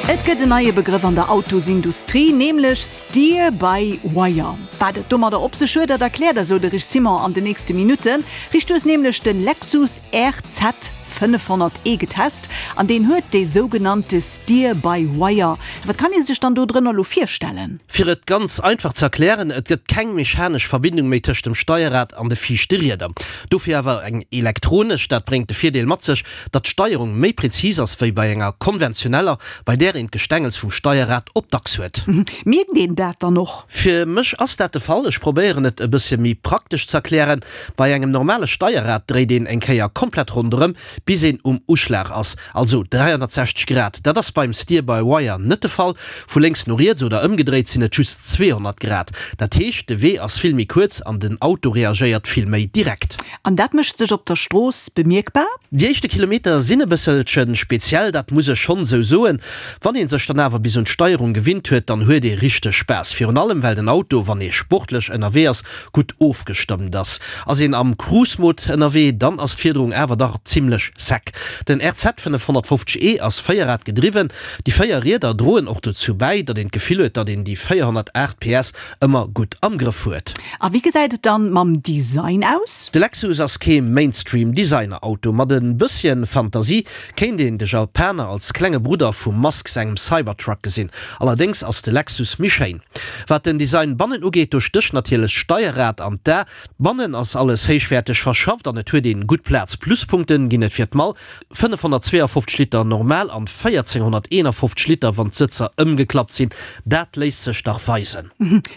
Et gëtt en neie Begrëff an der Autosindustrie, nämlech Steer by Wire. Wat et domadder op sech huet, dat erkläert eis elo de Rich Simon an de nächste Minutten. Rich, du hues nämlech de Lexus RZ 500e getest an deen huet dee sougenannte Steer by Wire. Wat kann ee sech dann do drënner elo virstellen? Fir et ganz einfach ze erklären, et gëtt keng mechanesch Verbindung méi tëscht dem Steierrad an de viischte Rieder. Dofir awer eng elektronesch. Dat bréngt de Virdeel mat sech, datt d'Steierung méi präzis ass wéi bei enger konventioneller, bei där een d'Gestängels vum Steierrad op d'Achs huet. Mierkt een dat dann och? Fir mech ass dat de Fall. Ech probéieren et e bëssche méi praktesch z'erklären. Bei engem normale Steierrad dréit een eng Kéier komplett ronderëm, bis een um Uschlag ass, also 360 Grad. Dat ass beim Steer-by-Wire net de Fall. Vu lénks no riets oder ëmgedréit sinn et just 200 Grad. Dat heescht, de Wee ass vill méi kuerz an den Auto reagéiert vill méi direkt. An dat mécht sech op der Strooss bemierkbar? Déi éischte Kilometer sinn e bësselche speziell, dat muss ech schonn esou soen. Wann ee sech dann awer bis un d'Steierung gewinnt huet, dann huet ee richteg Spaass. Virun allem well den Auto, wann ee sportlech ënnerwee ass, gutt ofgestëmmt ass. Ass een am Cruise-Mode ënnerwee, dann ass d'Fiederung awer dach zimmlech sec. Den RZ 550 E ass véierrad-gedriwwen. Déi 4 Rieder droen och dozou bäi, datt een d'Gefill huet, datt een déi 408 PS ëmmer gutt am Grëff huet. A wéi gesäit et dann mam Design aus? De Lexus ass kee Mainstream Designer Auto. Mat e bësschen Fantasie kéint een de Japaner als klenge Brudder vum Musk sengem Cybertruck gesinn. Allerdéngs ass de Lexus méi schéin. Wat den Design bannen ugeet, do stécht natierlech d'Steierrad an d'A. Bannen ass alles héichwäerteg verschafft an et huet een gutt Plaz. Pluspunkten ginn et fir d'Mall, 552 Liter normal an 1451 Liter wann d'Sëtzer ëmgeklappt sinn. Dat léisst sech dach weisen.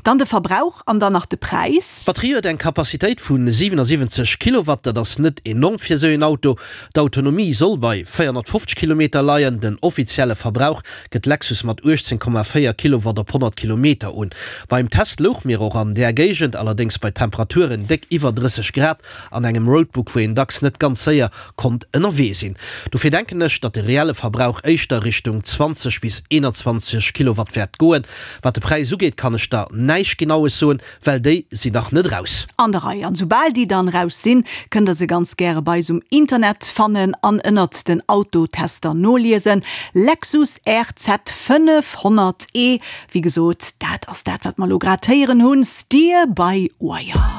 Dann de Verbrauch an dann nach de Präis. D'Batterie huet eng Capacitéit vu 77 Kilowatt, dat ass net enorm fir esou een Auto. D'Autonomie soll bei 450 Kilometer leien. Den offizielle Verbrauch gëtt Lexus mat 18,4 Kilowatt op 100 Kilometer un. Beim Test louch mir och an där Géigend, allerdéngs bei Temperaturen déck iwwer 30 Grad an engem Roadbook, wou een dacks net ganz séier konnt ënnerwee sinn. Dofir denken ech, datt de reelle Verbrauch éischter Richtung 20 bis 21 Kilowatt wäert goen. Wat de Präis ugeet, kann ech der näischt Genaues soen, well déi sinn nach net raus. An der Rei. An soubal déi dann raus sinn, kënnt der se ganz gäre bei eis um Internet fannen an ënnert den Autotester noliesen. Lexus RZ 500 E, wéi gesot, dat ass dat wat mer elo grad héieren hunn, Steer by Wire.